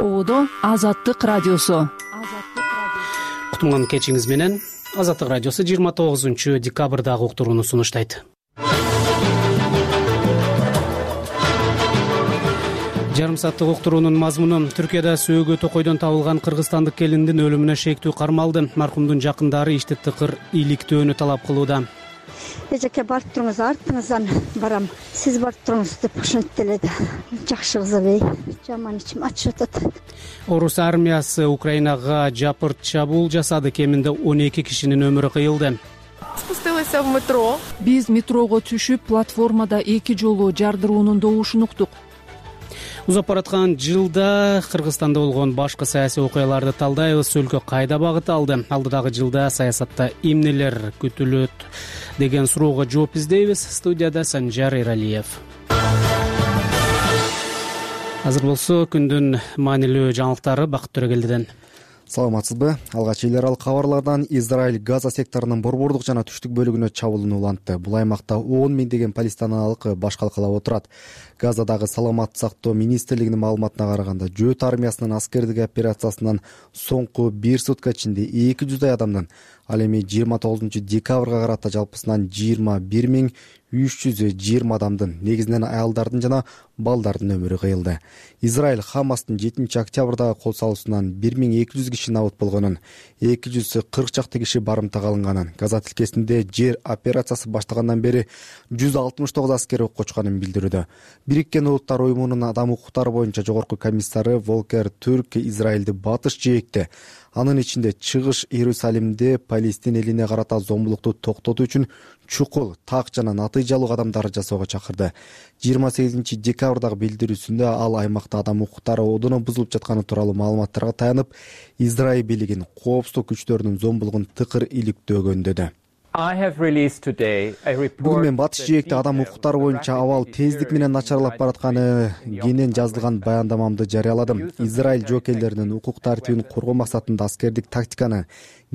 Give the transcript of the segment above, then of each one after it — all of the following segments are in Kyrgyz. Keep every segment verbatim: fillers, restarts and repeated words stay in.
Оодо Азаттык радиосу. Кутман кечиңиз менен. Азаттык радиосу жыйырма тогузунчу декабрдагы уктурууну сунуштайт. Жарым сааттык уктуруунун мазмуну: Түркияда сөөгө токойдон табылган кыргызстандык келиндин өлүмүнө шектүү кармалды. Маркумдун жакындары ишти тыкыр иликтөөнү талап кылууда. Эжеке барып туруңуз, артыңыздан барам. Сиз барып туруңуз деп ошентип эле да. Жакшы кыз эле, жаман ичим ачып атат. Орус армиясы Украинага жапырт чабуул жасады. Кеминде он эки кишинин өмүрү кыйылды. Спустилась в метро. Биз метрого түшүп, платформада эки жолу жардыруунун добушун уктук. Узап бараткан жылда Кыргызстанда болгон башкы саясий окуяларды талдайбыз. Өлкө кайда багыт алды? Алдыдагы жылда саясатта эмнелер күтүлөт деген суроого жооп издейбиз. Студияда Санжар Эралиев. Азыр болсо күндүн маанилүү жаңылыктары Бакыт Төрөгелдиден. Саламатсызбы? Алгач эл аралык кабарлардан Израиль Газа секторунун борбордук жана түштүк бөлүгүнө чабуулууну улантты. Бул аймакта он миңдеген палестиналык баш калкалап отурат. Газадагы саламаттык сактоо министрлигинин маалыматына караганда, жөөт армиясынын аскердик операциясынан соңку бир сутка ичинде эки жүздөй адамдын, ал эми жыйырма тогузунчу декабрга карата жалпысынан жыйырма бир миң үч жүз жыйырма адамдын, негизинен аялдардын жана балдардын өмүрү кыйылды. Израиль Хамастын жетинчи октябрдагы кол салуусунан бир миң эки жүз киши набыт болгонун, эки жүз кырк чакты киши барымтага алынганын, Газа тилкесинде жер операциясы баштагандан бери жүз алтымыш тогуз аскер окко учканын билдирүүдө. Бириккен Улуттар уюмунун адам укуктары боюнча жогорку комиссары Волкер Түрк Израилди батыш жээкте, анын ичинде чыгыш Иерусалимде Палестин элине карата зомбулукту токтотуу үчүн чукул, так жана натыйжалуу кадамдар жасоого чакырды. жыйырма сегизинчи декабрдагы билдирүүсүндө ал аймакта адам укуктары одоно бузулуп жатканы тууралуу маалыматтарга таянып, Израиль бийлигин коопсуздук күчтөрүнүн зомбулугун тыкыр иликтөөгөндөдү. Бүгүн мен батыш жээкте адам укуктары боюнча абал тездик менен начарлап баратканы кенен жазылган баяндамамды жарыяладым. Израиль жоокейлеринин укук тартибин коргоо максатында аскердик тактиканы,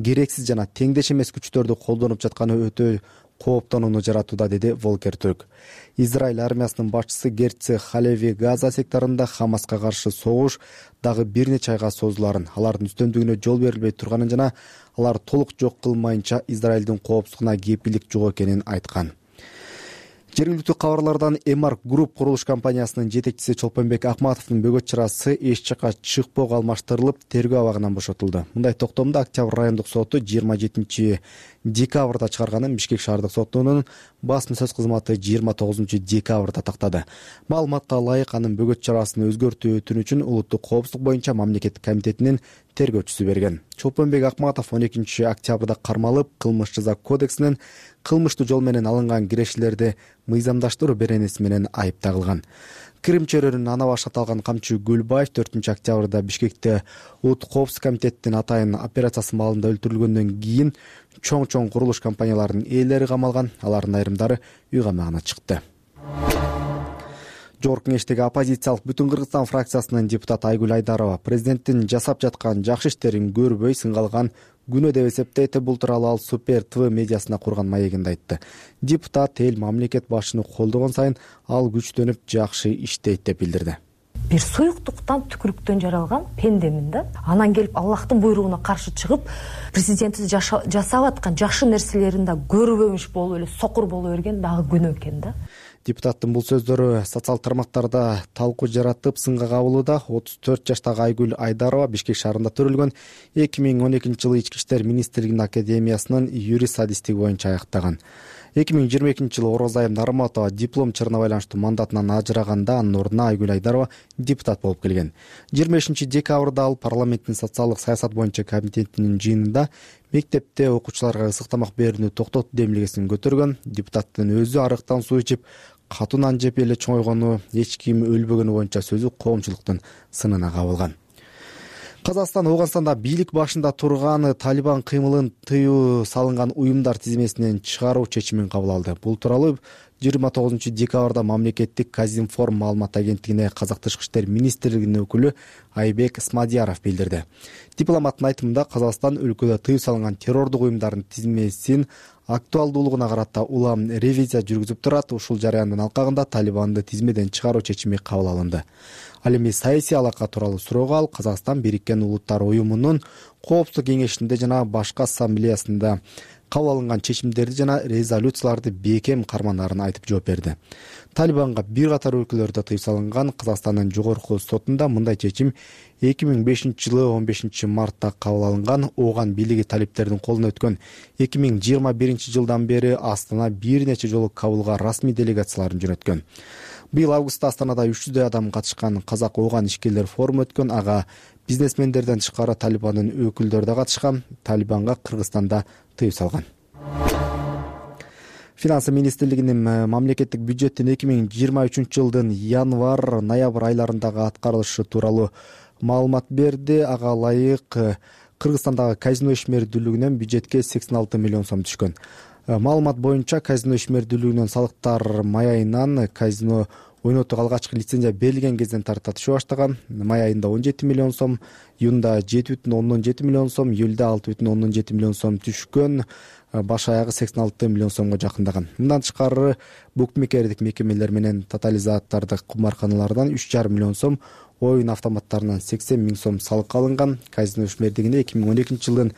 керексиз жана теңдеш эмес күчтөрдү колдонуп жатканы өтө кооптонууну жаратууда, деди Волкер Түрк. Израиль армиясынын башчысы Герци Халеви Газа секторунда Хамаска каршы согуш дагы бир нече айга созуларын, алардын үстөмдүгүнө жол берилбей турганын жана алар толук жок кылмайынча Израилдин коопсуздугуна кепилдик жок экенин айткан. Жергиликтүү кабарлардан Эмарк Групп курулуш компаниясынын жетекчиси Чолпонбек Акматовдун бөгөт чарасы эч жакка чыкпоого алмаштырылып, тергөө абагынан бошотулду. Мындай токтомду Октябрь райондук соту жыйырма жетинчи декабрда чыгарганын Бишкек шаардык сотунун басма сөз кызматы жыйырма тогузунчу декабрда тактады. Маалыматка ылайык, анын бөгөт чарасын өзгөртүү өтүнүчүн Улуттук коопсуздук боюнча мамлекеттик комитетинин тергөөчүсү берген. Чолпонбек Акматов он экинчи октябрда кармалып, кылмыш жаза кодексинин кылмыштуу жол менен алынган кирешилерди мыйзамдаштыруу беренеси менен айыпталган. Крим чөйрөнүн ана баш аталган камчы Гүлбаев төртүнчү октябрда Бишкекте Улуттук коопсуздук комитетинин атайын операциясы маалында өлтүрүлгөндөн кийин чоң-чоң курулуш компанияларынын ээлери камалган, алардын айрымдары үй камагына чыкты. Жогорку кеңештеги оппозициялык Бүтүн Кыргызстан фракциясынын депутаты Айгүл Айдарова президенттин жасап жаткан жакшы иштерин көрбөй сыңгалган күнөө деп эсептейт. Бул тууралуу ал Супер ТВ медиасына курган маегинде айтты. Депутат эл мамлекет башчыны колдогон сайын ал күчтөнүп жакшы иштейт деп билдирди. Бир суюктуктан, түкүрүктөн жаралган пендемин да. Анан келип Аллахтын буйругуна каршы чыгып, президентибиз жасап аткан жакшы нерселерин да көрбөмүш болуп эле сокур боло берген дагы күнөө экен да. Депутаттын бул сөздөрү социалдык тармактарда талкуу жаратып, сынга кабылууда. отуз төрт жаштагы Айгүл Айдарова Бишкек шаарында төрөлгөн эки миң он экинчи жылы Ички иштер министрлигинин академиясынын юрист адистиги боюнча аяктаган. эки миң жыйырма экинчи жылы Орозайым Нарматова диплом чырына байланыштуу мандатынан ажыраганда, анын ордуна Айгүл Айдарова депутат болуп келген. жыйырма бешинчи декабрда ал парламенттин социалдык саясат боюнча комитетинин жыйынында мектепте окуучуларга ысык тамак берүүнү токтотуу демилгесин көтөргөн. Депутаттын өзү арыктан суу ичип, катуу нан жеп эле чоңойгону, эч ким өлбөгөнү боюнча сөзү коомчулуктун сынына кабылган. Казакстан Ооганстанда бийлик башында турган Талибан кыймылын тыюу салынган уюмдар тизмесинен чыгаруу чечимин кабыл алды. Бул тууралуу жыйырма тогузунчу декабрда мамлекеттик Казинформ маалымат агенттигине Казак тышкы иштер министрлигинин өкүлү Айбек Смадияров билдирди. Дипломаттын айтымында Казакстан өлкөдө тыюу салынган террордук уюмдардын тизмесин актуалдуулугуна карата улам ревизия жүргүзүп турат. Ушул жараяндын алкагында Талибанды тизмеден чыгаруу чечими кабыл алынды. Ал эми саясий алака тууралуу суроого ал Казакстан Бириккен Улуттар уюмунун Коопсуздук кеңешинде жана башкы ассамблеясында кабыл алынган чечимдерди жана резолюцияларды бекем карманаарын айтып жооп берди. Талибанга бир катар өлкөлөрдө тыюу салынган. Казакстандын жогорку сотунда мындай чечим эки миң бешинчи жылы он бешинчи мартта кабыл алынган. Ооган бийлиги талиптердин колуна өткөн эки миң жыйырма биринчи жылдан бери Астана бир нече жолу Кабылга расмий делегацияларын жөнөткөн. Быйыл августта Астанада үч жүздөй адам катышкан Казак Ооган ишкерлер форуму өткөн. Ага бизнесмендерден тышкары Талибандын өкүлдөрү да катышкан. Талибанга Кыргызстанда тыюу салган. Финансы министрлигинин мамлекеттик бюджеттин эки миң жыйырма үчүнчү жылдын январь ноябрь айларындагы аткарылышы тууралуу маалымат берди. Ага ылайык Кыргызстандагы казино ишмердүүлүгүнөн бюджетке сексен алты миллион сом түшкөн. Маалымат боюнча казино ишмердүүлүгүнөн салыктар май айынан казино ойнотууга алгачкы лицензия берилген кезден тарта түшө баштаган. Май айында он жети миллион сом, июнда жети бүтүн ондон жети миллион сом, июлда алты бүтүн ондон жети миллион сом түшкөн. Баш аягы сексен алты миллион сомго жакындаган. Мындан тышкары букмекердик мекемелер менен тотализатордук кумарканалардан үч жарым миллион сом, оюн автоматтарынан сексен миң сом салык алынган. Казино ишмердигине эки миң он экинчи жылдын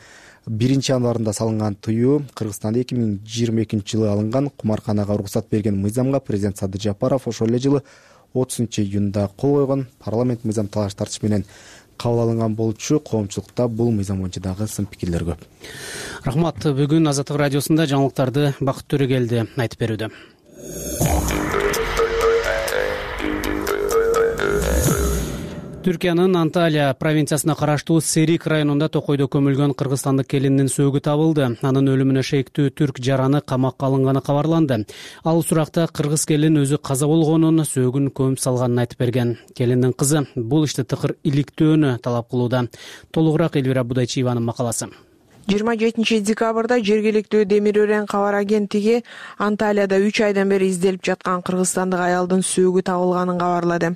биринчи январында салынган тыюу Кыргызстанда эки миң жыйырма экинчи жылы алынган. Кумарканага уруксат берген мыйзамга президент Садыр Жапаров ошол эле жылы отузунчу июнда кол койгон. Парламент мыйзам талаш тартыш менен кабыл алынган болчу. Коомчулукта бул мыйзам боюнча дагы сын пикирлер көп. Рахмат. Бүгүн Азаттык радиосунда жаңылыктарды Бакыт Төрөгелди айтып берүүдө. Түркиянын Анталия провинциясына караштуу Серик районунда токойдо көмүлгөн кыргызстандык келиндин сөөгү табылды. Анын өлүмүнө шектүү түрк жараны камакка алынганы кабарланды. Ал суракта кыргыз келин өзү каза болгонун, сөөгүн көмүп салганын айтып берген. Келиндин кызы бул ишти тыкыр иликтөөнү талап кылууда. Толугураак Элвира Будайчиеванын макаласы. жыйырма жетинчи декабрда жергиликтүү Демир Өрен кабар агенттиги Анталияда үч айдан бери изделип жаткан кыргызстандык аялдын сөөгү табылганын кабарлады.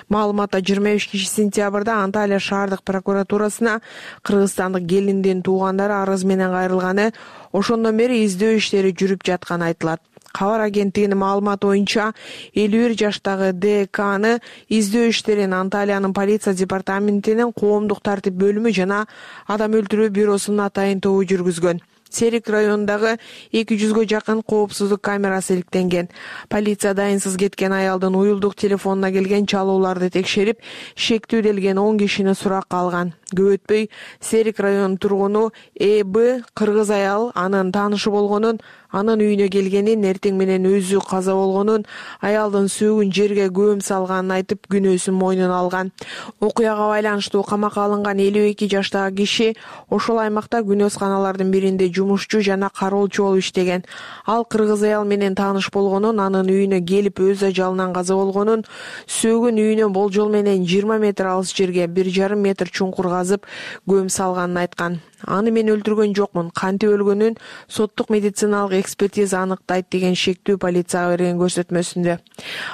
Маалыматта жыйырма бешинчи сентябрда Анталия шаардык прокуратурасына кыргызстандык келиндин туугандары арыз менен кайрылганы, ошондон бери издөө иштери жүрүп жатканы айтылат. Кабар агенттигинин маалыматы боюнча элүү бир жаштагы Д Кны издөө иштерин Анталиянын полиция департаментинин коомдук тартип бөлүмү жана адам өлтүрүү бюросунун атайын тобу жүргүзгөн. Серик районундагы эки жүзгө жакын коопсуздук камерасы иликтенген. Полиция дайынсыз кеткен аялдын уюлдук телефонуна келген чалууларды текшерип, шектүү делген он кишини суракка алган. Көп өтпөй Серик районунун тургуну Э Б кыргыз аял анын таанышы болгонун, анын үйүнө келгенин, эртең менен өзү каза болгонун, аялдын сөөгүн жерге көм салганын айтып, күнөөсүн мойнуна алган. Окуяга байланыштуу камакка алынган элүү эки жаштагы киши ошол аймакта күнөөсканалардын биринде жумушчу жана кароолчу болуп иштеген. Ал кыргыз аял менен тааныш болгонун, анын үйүнө келип өз ажалынан каза болгонун, сөөгүн үйүнөн болжол менен жыйырма метр алыс жерге бир жарым метр чуңкур казып көм салганын айткан. Аны мен өлтүргөн жокмун, кантип өлгөнүн соттук медициналык экспертиза аныктайт деген шектүү полицияга берген көрсөтмөсүндө.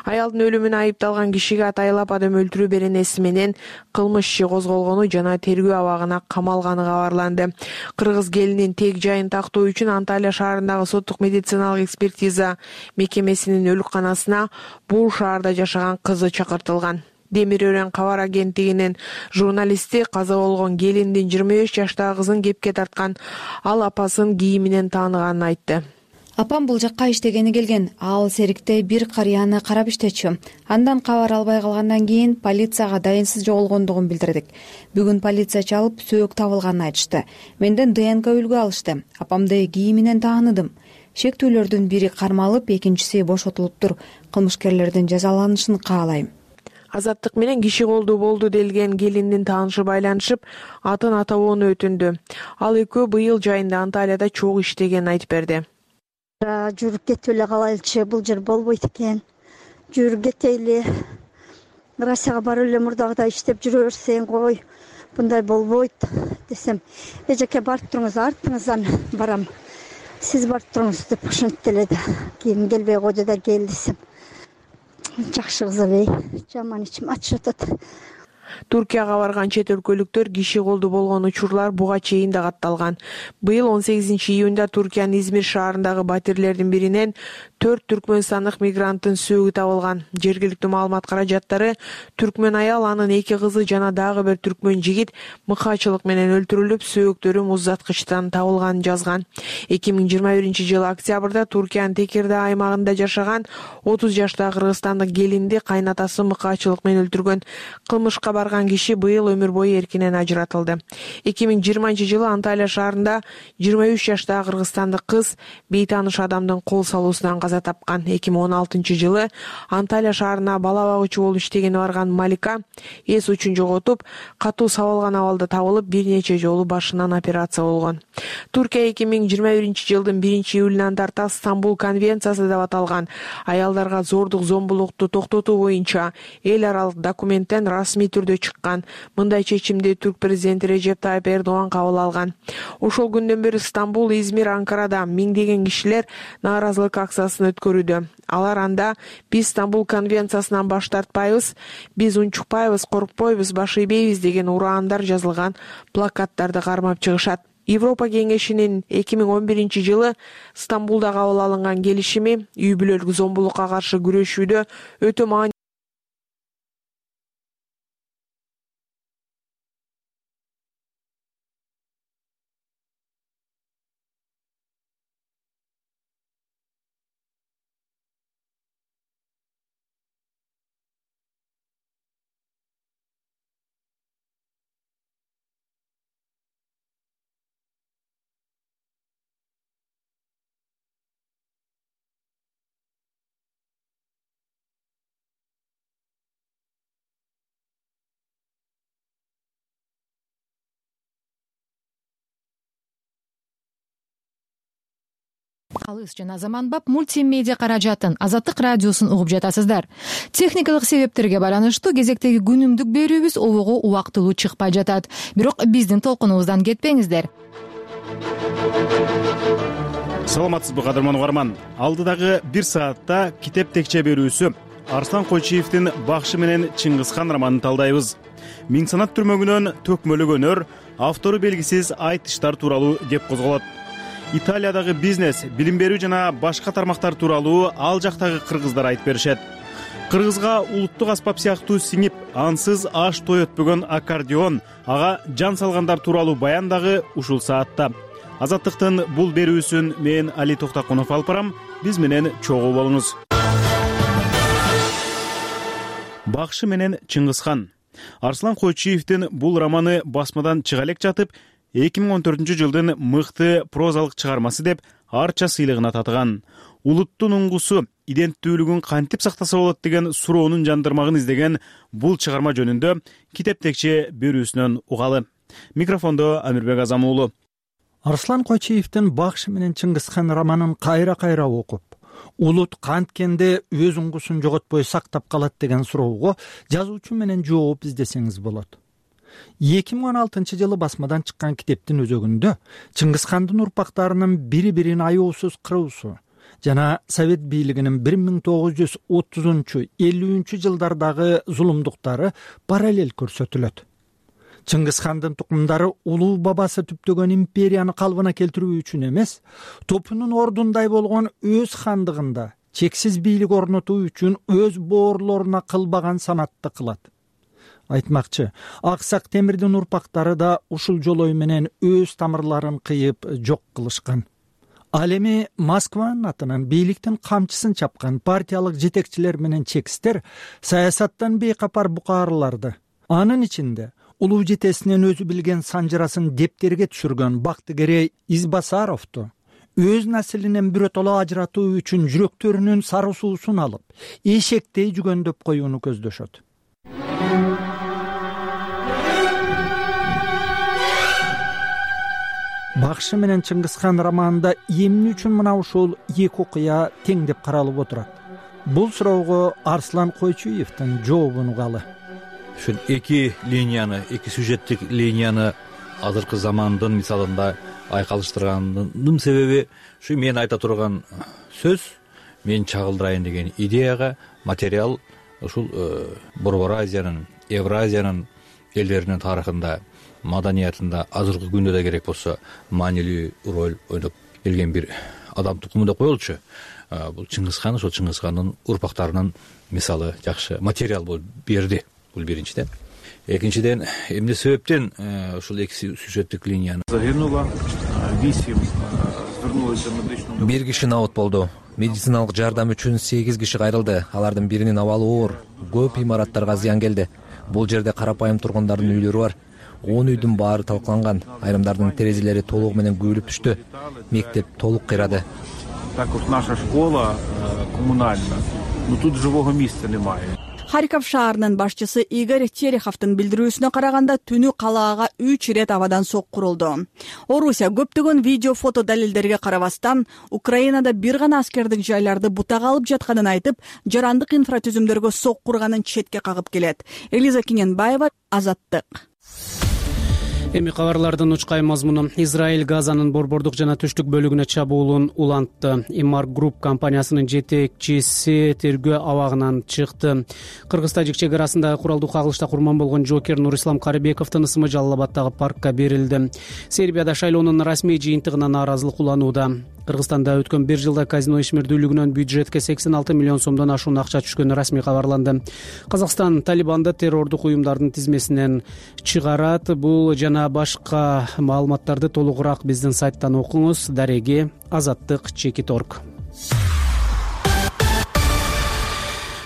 Аялдын өлүмүнө айыпталган кишиге атайлап адам өлтүрүү беренеси менен кылмыш иши козголгону жана тергөө абагына камалганы кабарланды. Кыргыз келинин тег жайын тактоо үчүн Анталия шаарындагы соттук медициналык экспертиза мекемесинин өлүкканасына бул шаарда жашаган кызы чакыртылган. Демир Өрен кабар агенттигинин журналисти каза болгон келиндин жыйырма беш жаштагы кызын кепке тарткан. Ал апасын кийиминен тааныганын айтты. Апам бул жакка иштегени келген. Ал Серикте бир карыяны карап иштечү. Андан кабар албай калгандан кийин полицияга дайынсыз жоголгондугун билдирдик. Бүгүн полиция чалып, сөөк табылганын айтышты. Менден Д Н К үлгү алышты. Апамды кийиминен тааныдым. Шектүүлөрдүн бири кармалып, экинчиси бошотулуптур. Кылмышкерлердин жазаланышын каалайм. Азаттык менен киши колдуу болду делген келиндин таанышы байланышып, атын атабоону өтүндү. Ал экөө быйыл жайында Анталияда чогуу иштегенин айтып берди. Жүрүп кетип эле калайлычы, бул жер болбойт экен. Жүрүп кетейли. Россияга барып эле мурдагыдай иштеп жүрө берсең кой. Мындай болбойт десем, эжеке барып туруңуз, артыңыздан барам. сиз барып туруңуз деп ушинтип эле да кийин келбей койду да кел десем жакшы кыз эле, жаман ичим ачып атат. Туркияга барган чет өлкөлүктөр киши колду болгон учурлар буга чейин да катталган. Быйыл он сегизинчи июнда Туркиянын Измир шаарындагы батирлердин биринен төрт түркмөнстандык мигранттын сөөгү табылган. Жергиликтүү маалымат каражаттары түркмөн аял, анын эки кызы жана дагы бир түркмөн жигит мыкаачылык менен өлтүрүлүп, сөөктөрү муздаткычтан табылганын жазган. эки миң жыйырма биринчи жылы октябрда Туркиянын Текирда аймагында жашаган отуз жаштагы кыргызстандык келинди кайнатасы мыкаачылык менен өлтүргөн. Кылмышка барган киши быйыл өмүр бою эркинен ажыратылды. эки миң жыйырманчы жылы Анталия шаарында жыйырма үч жаштагы кыргызстандык кыз бейтааныш адамдын кол салуусунан каза тапкан. эки миң он алтынчы жылы Анталия шаарына бала багуучу болуп иштегени барган Малика эс учун жоготуп, катуу сабалган абалда табылып, бир нече жолу башынан операция болгон. Туркия эки миң жыйырма биринчи жылдын биринчи июлунан тарта Стамбул конвенциясы деп аталган аялдарга зордук зомбулукту токтотуу боюнча эл аралык документтен расмий түрдө чыккан. Мындай чечимди түрк президенти Режеп Тайып Эрдоган кабыл алган. Ошол күндөн бери Стамбул, Измир, Анкарада миңдеген кишилер нааразылык акциясын өткөрүүдө. Алар анда биз Стамбул конвенциясынан баш тартпайбыз, биз унчукпайбыз, коркпойбуз, баш ийбейбиз деген ураандар жазылган плакаттарды кармап чыгышат. Европа кеңешинин эки миң он биринчи жылы Стамбулда кабыл алынган келишими үй бүлөлүк зомбулукка каршы күрөшүүдө өтө маанилүү. Алыс жана заманбап мультимедиа каражатын Азаттык радиосун угуп жатасыздар. Техникалык себептерге байланыштуу кезектеги күнүмдүк берүүбүз обого убактылуу чыкпай жатат. Бирок биздин толкунубуздан кетпеңиздер. Саламатсызбы кадырман угарман. Алдыдагы бир саатта китеп текче берүүсү Арслан Койчиевдин Бакшы менен Чыңгызхан романын талдайбыз. Миң санат түрмөгүнөн төкмөлүк өнөр, автору белгисиз айтыштар тууралуу кеп козголот. Италиядагы бизнес, билим берүү жана башка тармактар тууралуу ал жактагы кыргыздар айтып беришет. Кыргызга улуттук аспап сыяктуу сиңип, ансыз аш той өтпөгөн аккордеон, ага жан салгандар тууралуу баян дагы ушул саатта. Азаттыктын бул берүүсүн мен Али Токтакунов алып барам. Биз менен чогуу болуңуз. Бакшы менен Чыңгызхан. Арслан Койчиевдин бул романы басмадан чыга элек жатып, эки миң он төртүнчү жылдын мыкты прозалык чыгармасы деп арча сыйлыгына татыган. Улуттун уңгусу, иденттүүлүгүн кантип сактаса болот деген суроонун жандырмагын издеген бул чыгарма жөнүндө китеп текче берүүсүнөн угалы. Микрофондо Амирбек Азам уулу. Арслан Койчиевдин Бакшы менен Чыңгызхан романын кайра-кайра окуп, улут канткенде өз уңгусун жоготпой сактап калат деген суроого жазуучу менен жооп издесеңиз болот. эки миң он алтынчы жылы басмадан чыккан китептин өзөгүндө Чыңгызхандын урпактарынын бири-бирин аяосуз кыруусу жана Совет бийлигинин бир миң тогуз жүз отузунчу элүүнчү жылдардагы зулумдуктары параллель көрсөтүлөт. Чыңгызхандын тукумдары улуу бабасы түптөгөн империяны калыбына келтирүү үчүн эмес, топунун ордундай болгон өз хандыгында чексиз бийлик орнотуу үчүн өз боорлоруна кылбаган санатты кылат. Айтмакчы, Аксак Темирдин урпактары да ушул жолой менен өз тамырларын кыйып жок кылышкан. Ал эми Москванын атынан бийликтин камчысын чапкан партиялык жетекчилер менен чекистер саясаттан бейкапар букаарларды, анын ичинде улуу жетесинен өзү билген санжырасын дептерге түшүргөн Бактыгерей Избасаровду өз наслинен биротоло ажыратуу үчүн жүрөктөрүнүн сары суусун алып, эшектей жүгөндөп коюуну көздөшөт. Бакшы менен Чыңгызхан романында эмне үчүн мына ушул эки окуя тең деп каралып отурат? Бул суроого Арслан Койчиевдин жообун угалы. Ушул эки линияны, эки сюжеттик линияны азыркы замандын мисалында айкалыштырганымдын себеби ушу мен айта турган сөз, мен чагылдырайын деген идеяга материал ушул Борбор Азиянын, Евразиянын элдеринин тарыхында, маданиятында азыркы күндө да керек болсо маанилүү роль ойноп келген бир адам тукуму деп коелучу. Бул Чыңгыз хан, ошол Чыңгыз хандын урпактарынын мисалы жакшы материал болуп берди. Бул биринчиден. Экинчиден, эмне себептен ушул эки сюжеттик линияны загинуло восемь, бир киши набат болду. Медициналык жардам үчүн сегиз киши кайрылды. Алардын биринин абалы оор. Көп имараттарга зыян келди. Бул жерде карапайым тургундардын үйлөрү бар. он үйдүн баары талкаланган. Айрымдардын терезелери толугу менен күйүлүп түштү. Мектеп толук кыйрады. Так вот наша школа коммунальная, но тут живого места немає. Харьков шаарынын башчысы Игорь Тереховдун билдирүүсүнө караганда түнү калаага үч ирет абадан сок курулду. Орусия көптөгөн видео фото далилдерге карабастан Украинада бир гана аскердик жайларды бутага алып жатканын айтып, жарандык инфратүзүмдөргө сок курганын четке кагып келет. Элиза Киненбаева, Азаттык. Эми кабарлардын учкай мазмуну. Израиль Газанын борбордук жана түштүк бөлүгүнө чабуулун улантты. Имар Групп компаниясынын жетекчиси тергөө абагынан чыкты. Кыргыз-тажик чек арасындагы куралдуу кагылышта курман болгон жокер Нурислам Карыбековдун ысымы Жалал Абаддагы паркка берилди. Сербияда шайлоонун расмий жыйынтыгына нааразылык уланууда. Кыргызстанда өткөн бир жылда казино ишмердүүлүгүнөн бюджетке сексен алты миллион сомдон ашуун акча түшкөнү расмий кабарланды. Казакстан Талибанды террордук уюмдардын тизмесинен чыгарат. Бул жана башка маалыматтарды толугураак биздин сайттан окуңуз. Дареги Азаттык чекит точка орг.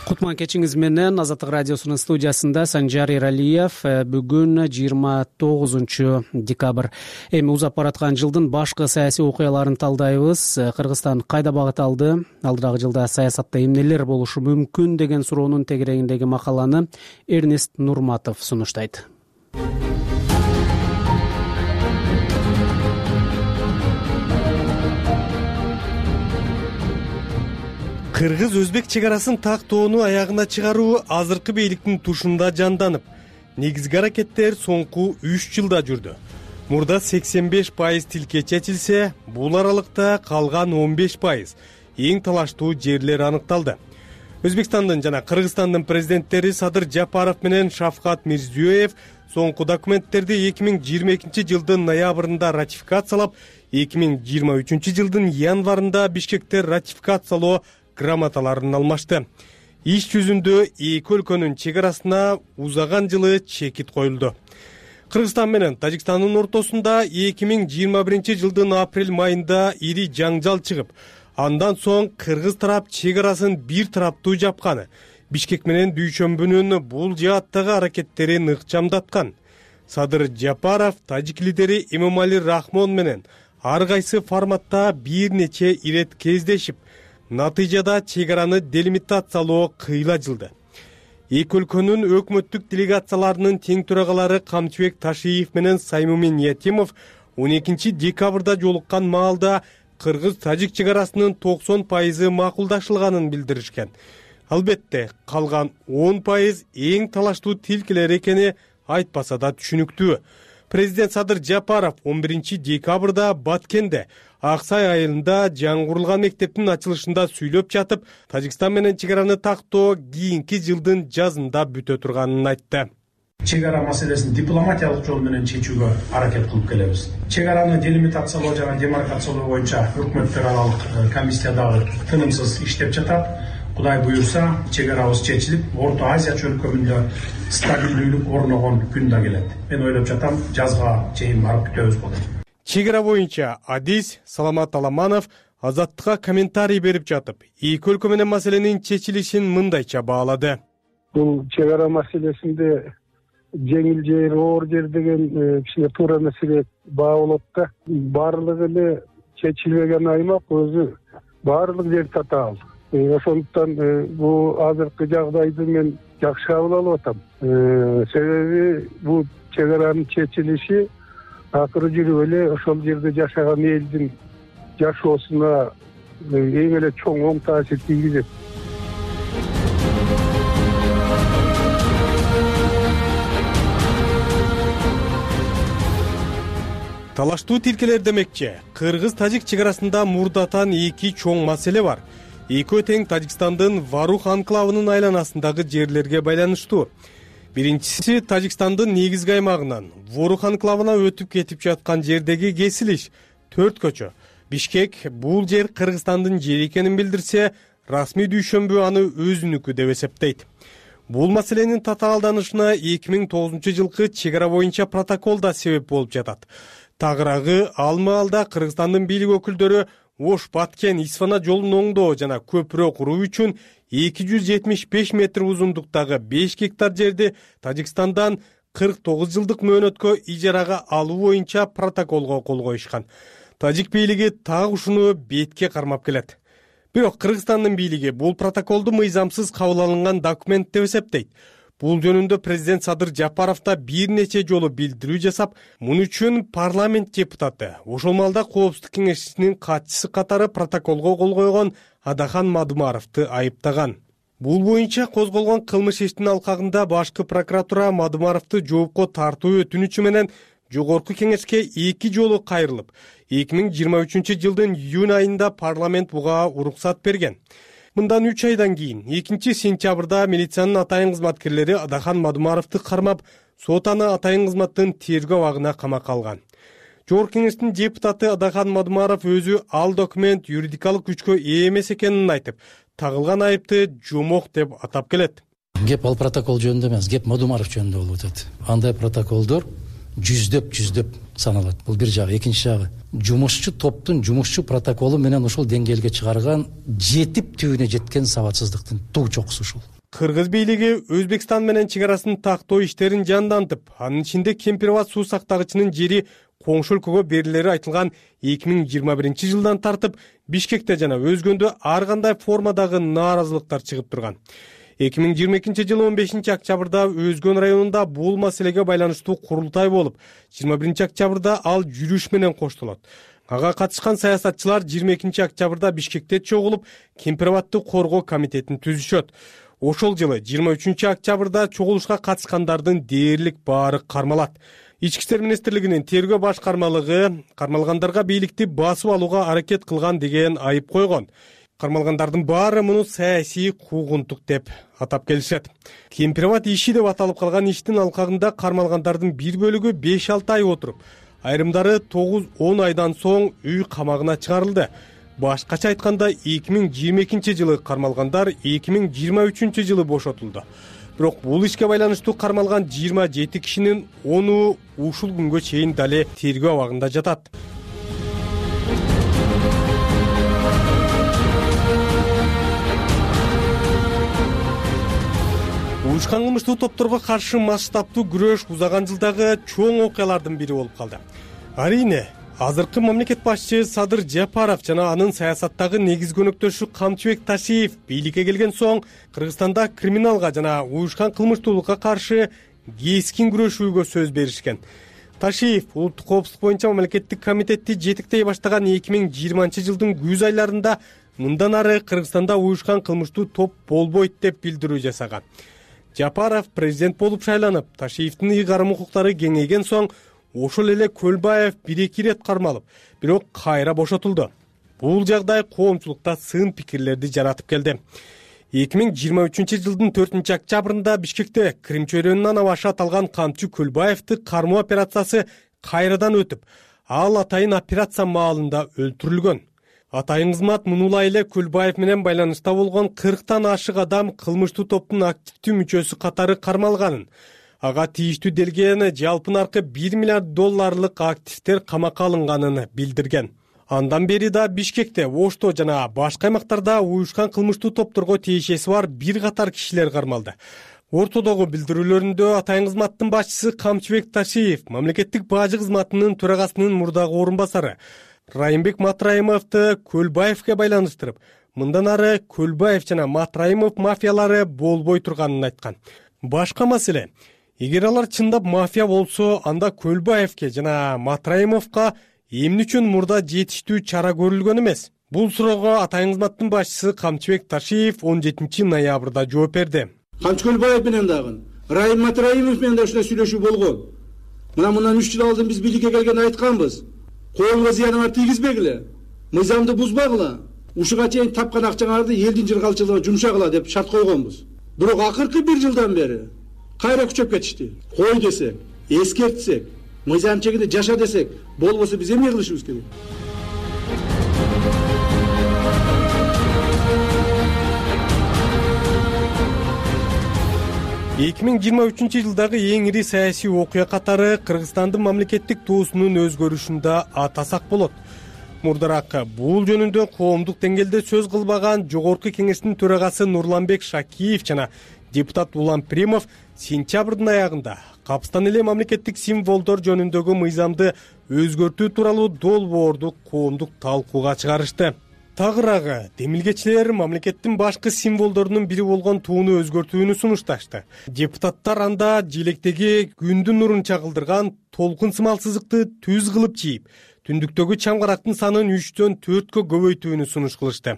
Кутман кечиңиз менен. Азаттык радиосунун студиясында Санжар Эралиев. Бүгүн жыйырма тогузунчу декабрь. Эми узап бараткан жылдын башкы саясий окуяларын талдайбыз. Кыргызстан кайда багыт алды? Алдырагы жылда саясатта эмнелер болушу мүмкүн деген суроонун тегерегиндеги макаланы Эрнест Нурматов сунуштайт. Кыргыз-өзбек чек арасын тактоону аягына чыгаруу азыркы бийликтин тушунда жанданып, негизги аракеттер соңку үч жылда жүрдү. Мурда сексен беш пайыз тилке чечилсе, бул аралыкта калган он беш пайыз эң талаштуу жерлер аныкталды. Өзбекстандын жана Кыргызстандын президенттери Садыр Жапаров менен Шавкат Мирзиёев соңку документтерди эки миң жыйырма экинчи жылдын ноябрында ратификациялап, эки миң жыйырма үчүнчү жылдын январында Бишкекте ратификациялоо грамоталарын алмашты. Иш жүзүндө эки өлкөнүн чек арасына узаган жылы чекит коюлду. Кыргызстан менен Тажикстандын ортосунда эки миң жыйырма биринчи жылдын апрель майында ири жаңжал чыгып, андан соң кыргыз тарап чек арасын бир тараптуу жапканы, Бишкек менен Дүйшөмбүнүн бул жааттагы аракеттерин ыкчамдаткан. Садыр Жапаров тажик лидери Эмомали Рахмон менен ар кайсы форматта бир нече ирет кездешип, натыйжада чек араны делимитациялоо кыйла жылды. Эки өлкөнүн өкмөттүк делегацияларынын тең төрагалары Камчыбек Ташиев менен Саймумин Ятимов он экинчи декабрда жолуккан маалда кыргыз-тажик чек арасынын токсон пайызы макулдашылганын билдиришкен. Албетте, калган он пайыз эң талаштуу тилкелер экени айтпаса да түшүнүктүү. Президент Садыр Жапаров он биринчи декабрда Баткенде Аксай айылында жаңгырылган мектептин ачылышында сүйлөп жатып, Тажикстан менен чек араны тактоо кийинки жылдын жазында бүтө турганын айтты. Чек ара маселесин дипломатиялык жол менен чечүүгө аракет кылып келебиз. Чек араны делимитациялоо жана демаркациялоо боюнча өкмөттөр аралык комиссия дагы тынымсыз иштеп жатат. Кудай буюрса, чек арабыз чечилип, Орто Азия чөлкөмүндө стабилдүүлүк орногон күн да келет. Мен ойлоп жатам, жазга чейин барып күтөбүз болот. Чек ара боюнча Адис Саламат Аламанов Азаттыкка комментарий берип жатып, эки өлкө менен маселенин чечилишин мындайча баалады. Бул чек ара маселесинде жеңил жер, оор жер деген кичине туура маселе баа болот да. Баардыгы эле чечилбеген аймак өзү баардык жер татаал. Ошондуктан бул азыркы жагдайды мен жакшы кабыл алып атам. Себеби бул чек аранын чечилиши акыры жүрүп эле ошол жерде жашаган элдин жашоосуна эң эле чоң оң таасир тийгизет. талаштуу тилкелер демекчи, кыргыз-тажик чек арасында мурдатан эки чоң маселе бар. Экөө тең Тажикстандын Варух анклавынын айланасындагы жерлерге байланыштуу. Биринчиси Тажикстандын негизги аймагынан Ворух анклавына өтүп кетип жаткан жердеги кесилиш төрт көчө. Бишкек бул жер Кыргызстандын жери экенин билдирсе, расмий дүйшөмбү аны өзүнүкү деп эсептейт. Бул маселенин татаалданышына эки миң тогузунчу жылкы чек ара боюнча протокол да себеп болуп жатат. Тагыраагы ал маалда Кыргызстандын бийлик өкүлдөрү Ош Баткен Исфана жолун оңдоо жана көпүрө куруу үчүн эки жүз жетимиш беш метр узундуктагы беш гектар жерди Тажикстандан кырк тогуз жылдык мөөнөткө ижарага алуу боюнча протоколго кол коюшкан. Тажик бийлиги так ушуну бетке кармап келет. Бирок Кыргызстандын бийлиги бул протоколду мыйзамсыз кабыл алынган документ деп эсептейт. Бул жөнүндө президент Садыр Жапаров да бир нече жолу билдирүү жасап, муну үчүн парламент депутаты, ошол маалда Коопсуздук кеңешчисинин катчысы катары протоколго кол койгон Адахан Мадумаровду айыптаган. Бул боюнча козголгон кылмыш иштин алкагында башкы прокуратура Мадумаровду жоопко тартуу өтүнүчү менен жогорку кеңешке эки жолу кайрылып, эки миң жыйырма үчүнчү жылдын июнь айында парламент буга уруксат берген. Мындан үч айдан кийин экинчи сентябрда милициянын атайын кызматкерлери Адахан Мадумаровду кармап, сот аны атайын кызматтын тергөө абагына камакка алган. Жогорку кеңештин депутаты Адахан Мадумаров өзү ал документ юридикалык күчкө ээ эмес экенин айтып, тагылган айыпты жомок деп атап келет. Кеп ал протокол жөнүндө эмес, кеп Мадумаров жөнүндө болуп атат. Андай протоколдор жүздөп жүздөп саналат. Бул бир жагы. Экинчи жагы, жумушчу топтун жумушчу протоколу менен ошол деңгээлге чыгарган жетип түбүнө жеткен сабатсыздыктын туг чокусу ушул. Кыргыз бийлиги Өзбекстан менен чек арасын тактоо иштерин жандантып, анын ичинде Кемпирабад суу сактагычынын жери коңшу өлкөгө берилери айтылган эки миң жыйырма биринчи жылдан тартып Бишкекте жана өзгөндө ар кандай формадагы нааразылыктар чыгып турган. эки миң жыйырма экинчи жылы он бешинчи октябрда Өзгөн районунда бул маселеге байланыштуу курултай болуп, жыйырма биринчи октябрда ал жүрүш менен коштолот. Ага катышкан саясатчылар жыйырма экинчи октябрда Бишкекте чогулуп, Кемпирабадды коргоо комитетин түзүшөт. Ошол жылы жыйырма үчүнчү октябрда чогулушка катышкандардын дээрлик баары кармалат. Ички иштер министрлигинин тергөө башкармалыгы кармалгандарга бийликти басып алууга аракет кылган деген айып койгон. Кармалгандардын баары муну саясий куугунтук деп атап келишет. Кемпирабад иши деп аталып калган иштин алкагында кармалгандардын бир бөлүгү беш алты ай отуруп, айрымдары тогуз он айдан соң үй камагына чыгарылды. Башкача айтканда эки миң жыйырма экинчи жылы кармалгандар эки миң жыйырма үчүнчү жылы бошотулду. Бирок бул ишке байланыштуу кармалган жыйырма жети кишинин ону ушул күнгө чейин дале тергөө абагында жатат. Уюшкан кылмыштуу топторго каршы масштабтуу күрөш узаган жылдагы чоң окуялардын бири болуп калды. Арийне, азыркы мамлекет башчы Садыр Жапаров жана анын саясаттагы негизги өнөктөшү Камчыбек Ташиев бийликке келген соң Кыргызстанда криминалга жана уюшкан кылмыштуулукка каршы кескин күрөшүүгө сөз беришкен. Ташиев улуттук коопсуздук боюнча мамлекеттик комитетти жетектей баштаган эки миң жыйырманчы жылдын күз айларында мындан ары Кыргызстанда уюшкан кылмыштуу топ болбойт деп билдирүү жасаган. Жапаров президент болуп шайланып, Ташиевдин ыйгарым укуктары кеңейген соң ошол эле Көлбаев бир-эки ирет кармалып, бирок кайра бошотулду. Бул жагдай коомчулукта сын пикирлерди жаратып келди. эки миң жыйырма үчүнчү жылдын төртүнчү октябрында Бишкекте Крим чөйрөнүнөн абашы аталган камчы Көлбаевди кармоо операциясы кайрадан өтүп, ал атайын операция маалында өлтүрүлгөн. Атайын кызмат мунулай эле Көлбаев менен байланышта болгон кырктан ашык адам кылмыштуу топтун активдүү мүчөсү катары кармалганын, ага тийиштүү делгени жалпы наркы бир миллиард долларлык активдер камакка алынганын билдирген. Андан бери да Бишкекте, Ошто жана башка аймактарда уюшкан кылмыштуу топторго тиешеси бар бир катар кишилер кармалды. Ортодогу билдирүүлөрүндө атайын кызматтын башчысы Камчыбек Ташиев, мамлекеттик бажы кызматынын төрагасынын мурдагы орун басары Райымбек Матраимовду Көлбаевге байланыштырып, мындан ары Көлбаев жана Матраимов мафиялары болбой турганын айткан. Башка маселе, эгер алар чындап мафия болсо, анда Көлбаевге жана Матраимовго эмне үчүн мурда жетиштүү чара көрүлгөн эмес? Бул суроого атайын кызматтын башчысы Камчыбек Ташиев он жетинчи ноябрда жооп берди. Камчы Көлбаев менен дагы, Райым Матраимов менен да ушундай сүйлөшүү болгон. мына мындан үч жыл алдын биз бийликке келгенде айтканбыз, коомго зыяныңар тийгизбегиле, мыйзамды бузбагыла, ушуга чейин тапкан акчаңарды элдин жыргалчылыгына жумшагыла деп шарт койгонбуз. Бирок акыркы бир жылдан бери кайра күчөп кетишти. Кой десек, эскертсек, мыйзам чегинде жаша десек, болбосо биз эмне кылышыбыз керек? эки миң жыйырма үчүнчү жылдагы эң ири саясий окуя катары Кыргызстандын мамлекеттик туусунун өзгөрүшүндө атасак болот. Мурдараак бул жөнүндө коомдук деңгээлде сөз кылбаган Жогорку Кеңештин төрагасы Нурланбек Шакиев жана депутат Улан Примов сентябрдын аягында капыстан эле мамлекеттик символдор жөнүндөгү мыйзамды өзгөртүү тууралуу долбоорду коомдук талкууга чыгарышты. Тагыраагы демилгечилер мамлекеттин башкы символдорунун бири болгон тууну өзгөртүүнү сунушташты. Депутаттар анда желектеги күндүн нурун чагылдырган толкун сымал сызыкты түз кылып чийип, түндүктөгү чамгарактын санын үчтөн төрткө көбөйтүүнү сунуш кылышты.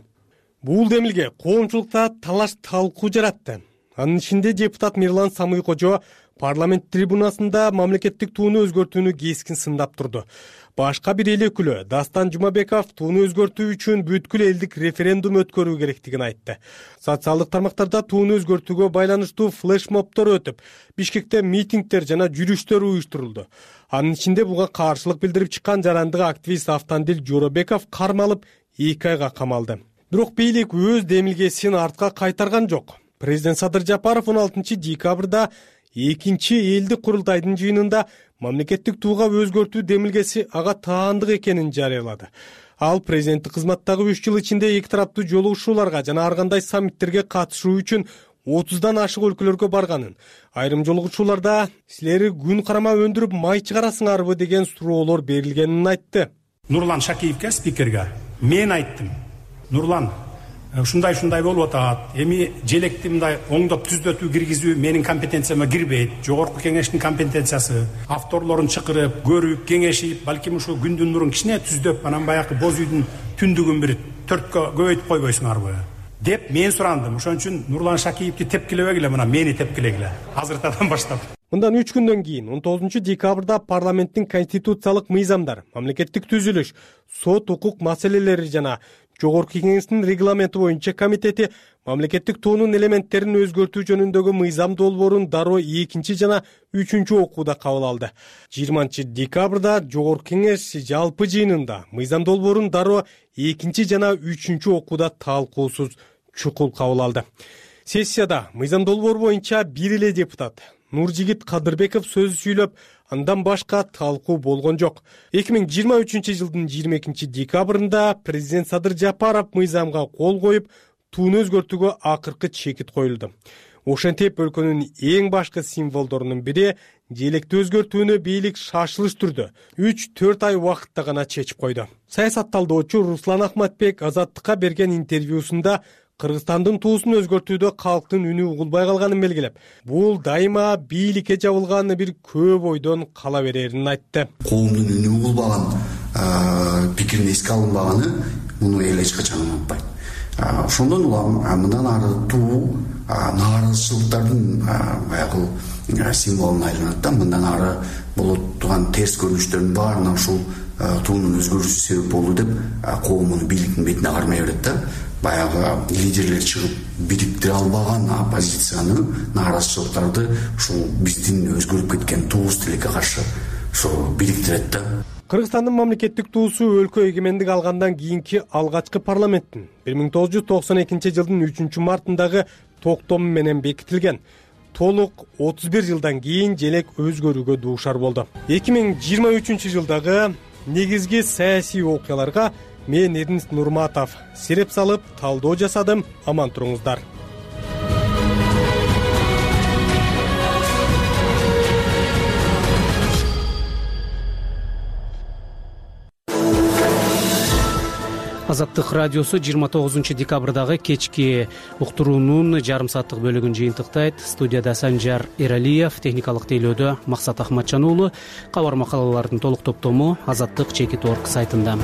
Бул демилге коомчулукта талаш талкуу жаратты. Анын ичинде депутат Мирлан Самыйкожо парламент трибунасында мамлекеттик тууну өзгөртүүнү кескин сындап турду. Башка бир эл өкүлү Дастан Жумабеков тууну өзгөртүү үчүн бүткүл элдик референдум өткөрүү керектигин айтты. Социалдык тармактарда тууну өзгөртүүгө байланыштуу флешмобдор өтүп, Бишкекте митингдер жана жүрүштөр уюштурулду. Анын ичинде буга каршылык билдирип чыккан жарандык активист Автандил Жоробеков кармалып эки айга камалды. Бирок бийлик өз демилгесин артка кайтарган жок. Президент Садыр Жапаров он алтынчы декабрда экинчи элдик курултайдын жыйынында мамлекеттик тууга өзгөртүү демилгеси ага таандык экенин жарыялады. Ал президенттик кызматтагы үч жыл ичинде эки тараптуу жолугушууларга жана ар кандай саммиттерге катышуу үчүн отуздан ашык өлкөлөргө барганын, айрым жолугушууларда силер күн карама өндүрүп май чыгарасыңарбы деген суроолор берилгенин айтты. Нурлан Шакиевке, спикерге мен айттым. Нурлан, ушундай ушундай болуп атат. Эми желекти мындай оңдоп түзөтүү киргизүү менин компетенцияма кирбейт. Жогорку кеңештин компетенциясы. Авторлорун чакырып, көрүп, кеңешип, балким ушу күндүн нурун кичине түздөп, анан баягы боз үйдүн түндүгүн бир төрткө көбөйтүп койбойсуңарбы деп мен сурандым. Ошон үчүн Нурлан Шакиевди тепкилебегиле, мына мени тепкилегиле. Азыртадан баштап. Мындан үч күндөн кийин он тогузунчу декабрда парламенттин конституциялык мыйзамдар, мамлекеттик түзүлүш, сот укук маселелери жана Жогорку Кеңештин регламенти боюнча комитети мамлекеттик туунун элементтерин өзгөртүү жөнүндөгү мыйзам долбоорун дароо экинчи жана үчүнчү окууда кабыл алды. жыйырманчы декабрда Жогорку Кеңеш жалпы жыйынында мыйзам долбоорун дароо экинчи жана үчүнчү окууда талкуусуз чукул кабыл алды. Сессияда мыйзам долбоору боюнча бир эле депутат Нуржигит Кадырбеков сөз сүйлөп, андан башка талкуу болгон жок. эки миң жыйырма үчүнчү жылдын жыйырма экинчи декабрында президент Садыр Жапаров мыйзамга кол коюп, тууну өзгөртүүгө акыркы чекит коюлду. Ошентип өлкөнүн эң башкы символдорунун бири желекти өзгөртүүнү бийлик шашылыш түрдө үч төрт ай убакытта гана чечип койду. Саясат талдоочу Руслан Ахматбек Азаттыкка берген интервьюсунда Кыргызстандын туусун өзгөртүүдө калктын үнү угулбай калганын белгилеп, бул дайыма бийликке жабылган бир көп ойдон кала берерин айтты. Коомдун үнү угулбаган, пикирин эске алынбаганы муну эл эч качан унутпайт. Ошондон улам мындан ары туу нааразычылыктардын баягы символуна айланат да, мындан ары болот турган терс көрүнүштөрдүн баарына ушул туунун өзгөрүүсү себеп болду деп коом муну бийликтин бетине кармай берет да. Баягы лидерлер чыгып бириктире албаган оппозицияны, нааразычылыктарды ушул биздин өзгөрүп кеткен туубуз тилекке каршы ошо бириктирет да. Кыргызстандын мамлекеттик туусу өлкө эгемендик алгандан кийинки алгачкы парламенттин бир миң тогуз жүз токсон экинчи жылдын үчүнчү мартындагы токтому менен бекитилген. Толук отуз бир жылдан кийин желек өзгөрүүгө дуушар болду. эки миң жыйырма үчүнчү жылдагы негизги саясий окуяларга мен Эрнест Нурматов сиреп салып талдоо жасадым. Аман туруңуздар. Азаттык радиосу жыйырма тогузунчу декабрдагы кечки уктуруунун жарым сааттык бөлүгүн жыйынтыктайт. Студияда Санжар Эралиев, техникалык тейлөөдө Максат Ахматжан уулу. Кабар макалалардын толук топтому Азаттык чекит точка орг сайтында.